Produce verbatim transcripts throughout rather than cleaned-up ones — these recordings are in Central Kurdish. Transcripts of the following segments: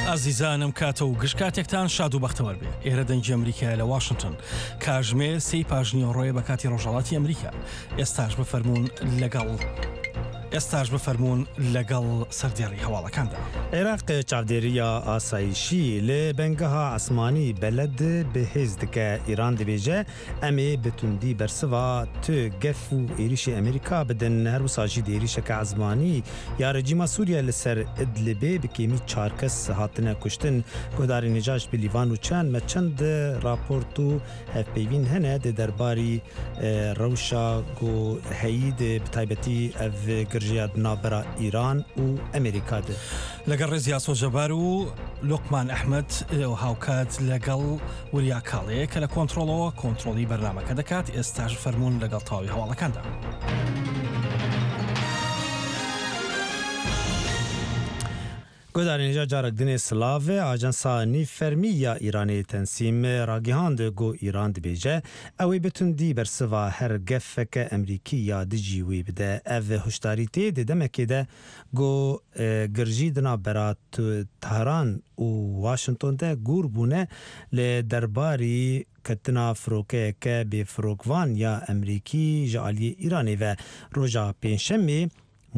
ئازیزانم کاتە و گشت کاتێکتان شاد و بەختەوەر بێ. ئێرە دەنگی ئەمریکایە لە واشنگتن. کاژمێر سێی پاژنیوەڕۆیە بە کاتی ڕۆژهەڵاتی ئەمریکا. ئێستاش بفەرموون لەگەڵ ئێستاش بفەرموون لەگەڵ سەردێڕی هەواڵەکاندا. عێراق چاودێرییا ئاسایشی لە بنگەها ئاسمانی بەلەد بەهێز دکە. ئیران دبێژە ئەمێ بە توندی بەرسڤا تو گەف و ئێریشێ ئەمریکا بدن. هەروسا ژی دە ئێریشەکە ئەزمانی یا رژیما سووریا لەسەر ئیدلبێ بە کێمی چار کەس هاتنە کوشتن. گۆداری نجاش بلیوان و چەند مە چەند راپۆرت و هەڤپەیڤین هەنە دە دەرباری ڕەوشا گۆ هەیی دە بە تایبەتی ئەڤ گرژیا ناڤبەرا ئیران و ئەمریکا دە. لەگەڵ ڕێز یاسۆ جەبار و لوقمان ئەحمەد هاوکات لەگەڵ وریا کاڵەیە کە لە کۆنترۆڵەوە کۆنترۆڵی بەرنامەکە دەکات. ئێستاش فەرمونون لەگەڵ تەواوی هەواڵەکاندا. گۆدارێن هێژا جارەک دنێ سلاڤێ ئاژانسا نیڤفەرمی یا ئیرانێ تەنسیم ڕاگیهاند گۆ ئیران دبێژە ئەوێ بە توندی بەرسڤا هەر گەفەکە ئەمریکی یا دژی وێ بدە. ئەڤ هوشداری تێ دە دەمەکێ دە گۆ گرژی دنا بەرا تەهران و واشنگتۆن دە گوڕ بوونە لە دەرباری کەتنا فرۆکەیەکە بێفرۆکڤان یا ئەمریکی ژ ئالیێ ئیرانێ ڤە ڕۆژا پێنجشەمێ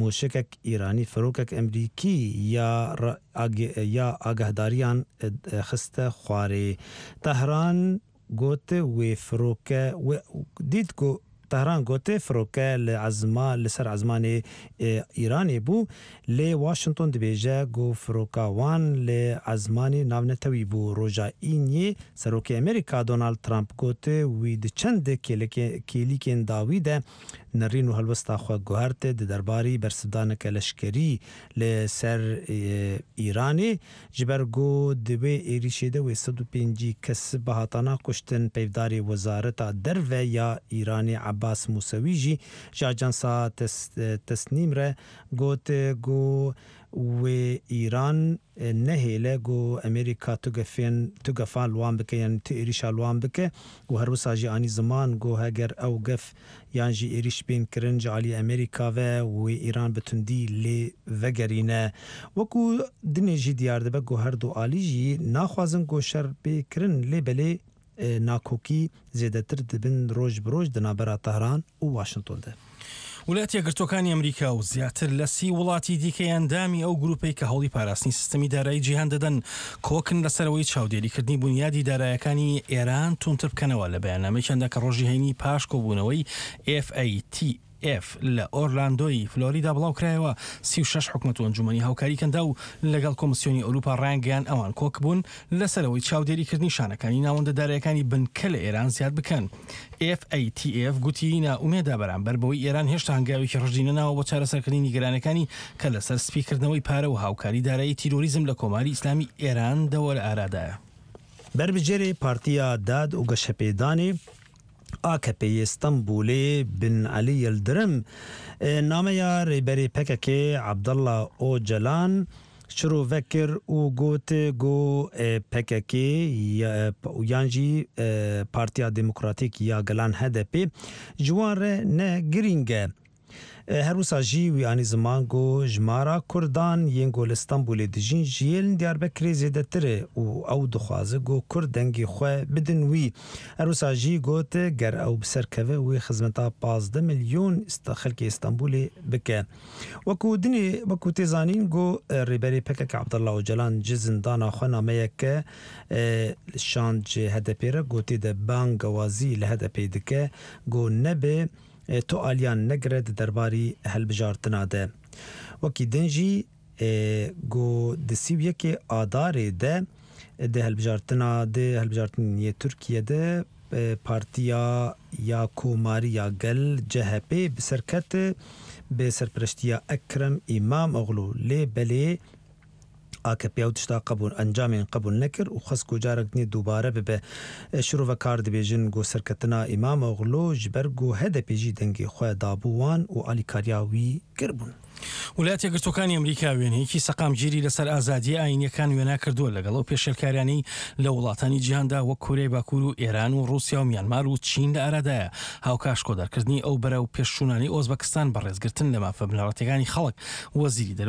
موشەکێک ئیرانی فرۆکەک ئەمریکی یا یا ئاگەهداریان خستە خوارێ. تەهران گۆت وێ فرۆکە دیت گۆ تەهران گۆتێ فرۆکە لە ئەزما لەسەر ئەزمانێ ئیرانێ بوو لێ واشنگتۆن دبێژە گۆ فرۆکا وان لە ئەزمانێ ناڤنەتەوی بوو. ڕۆژا ئینیێ سەرۆکێ ئەمریکا دۆناڵد ترامپ گۆتێ وی دە چەند کێلیکێن داوی دە نڕین و هەڵوێستا خوە گوهەرتێ دە دەرباری بەرسڤدانەکە لەشکەری لەسەر ئیرانێ ژ بەر گۆ دە وێ ئێریشێ دە وێ سەد و پێنجی کەس بهاتانا کوشتن. پەیڤدارێ وەزارەتا دەرڤە یا ئیرانێ عەباس موسەوی ژی ژ ئاژانسا تەسنیم ڕە گۆت گۆ وێ ئیران نەهێلە گۆ ئەمریکا تو گەفێن تو گەفان لوان بکە یان تو ئێریشا لوان بکە و هەروسا ژی ئانی زمان گۆ هەگەر ئەو گەف یان ژی ئێریش بێن کرن ژ ئالیێ ئەمریکا ڤە وێ ئیران بە توندی لێ ڤەگەرینە. وەکو دنێ ژی دیار دبە گۆ هەردوو ئالی ژی ناخوازن گۆ شەڕ بێ کرن لێ بەلێ ناکۆکی زێدەتر دبن ڕۆژ بە ڕۆژ دە ناڤبەرا تەهران و واشنگتۆن دە. وڵاتی یەکگرتووەکانی ئەمریکا و زیاتر لە سی وڵاتی دیکەی ئەندامی ئەو گروپەی کە هەوڵی پاراستنی سیستەمی دارایی جیهان دەدەن کۆکن لەسەرەوەی چاودێریکردنی بونیادی دارایەکانی ئێران توندتر بکەنەوە. لە بەیاننامەیەکیاندا کە ڕۆژی هەینی پاش کۆبوونەوەی ئێف ئەی تی ئێف لە ئۆرلاندۆی فلۆریدا بڵاوکرایەوە، سی و شەش حکومەت و ئەنجومەنی هاوکاری کەندا و لەگەڵ کۆمسیۆنی ئەوروپا ڕایانگەیان ئەوان کۆک بوون لەسەرەوەی چاودێریکردنی شانەکانی ناوەندە دارایەکانی بنکە لە ئێران زیاد بکەن. ئێف ئەی تی ئێف گوتی نائومێدە بەرامبەر بەوەی ئێران هێشتا هەنگاوێکی ڕژدی نەناوە بۆ چارەسەرکردنی نیگەرانەکانی کە لەسەر سپیکردنەوەی پارە و هاوکاری دارایی تیرۆریزم لە کۆماری ئیسلامی ئێران دەوە لە ئارادایە. بەربژێرێ پارتیا داد و گەشەپێدانێ ئاکەپێ ئیستەنبوڵێ بن عەلی یڵدرم نامەیا ڕێبەرێ پەکەکێ عەبدوڵا ئۆجەلان شرۆڤە کرد و گۆت گۆ پەکەکێ یان ژی پارتیا دێمۆکراتیک یا گەلان هەدەپێ ژ وان ڕە نە گرینگە. هەروسا ژی وی ئانی زمان گۆ ژمارا کوردان یێن گۆ لە ئیستەنبوڵێ دژین ژ یێن دیاربەکرێ زێدەترە و ئەو دخوازە گۆ کورد دەنگێ خوە بدن وی. هەروسا ژی گۆت گەر ئەو بسەرکەڤە وێ خزمەتا پازدە ملیۆن خەلکێ ئیستەنبوڵێ بکە. وەکو دنێ وەکو تێ زانین گۆ ڕێبەرێ پەکەکە عەبدوڵا ئۆجەلان ژ زندانا خوە نامەیەکە شاند ژ هەدەپێ ڕە گۆ تێدە بانگەوازی لە هەدەپێ دکە گۆ نەبێ تو ئالیان نەگرە دە دەرباری هەلبژارتنا دە. وەکی دن ژی گۆ دە سی و یەکێ ئادارێ دە دە هەلبژارتنا دە هەلبژارتنێ تورکیە دە پارتیا یا کۆماری یا گەل جەهەپێ بسەرکەت بە سەرپەرشتیا ئەکرەم ئیمام ئۆغلو لێ بەلێ ئاکەپێ ئەو تشتا قبول ئەنجامێن قبول نەکرد و خەست گۆ جارەک دنێ دووبارە ببێ. شرۆڤەکار دبێژن گۆ سەرکەتنا ئیمام ئۆغلو ژ بەر گۆ هەدەپێ ژی دەنگێ خوە دابوو وان و ئالیکاریا وی کربوون. وڵاتی یەکگرتووەکانی ئەمریکا وێنەیەکی سەقامگیری لەسەر ئازادیە ئایینیەکان وێنا کردووە لەگەڵ ئەو پێشێلکاریانەی لە وڵاتانی جیهاندا وەک کۆریای باکوور و ئێران و ڕووسیا و میانمار و چین لە ئارادایە. هاوکات شکۆدارکردنی ئەو بەرەو پێشچوونانەی ئۆزبەکستان بە ڕێزگرتن لە مافە بنەڕەتیەکانی خەڵک. وەزیری دەرەوەی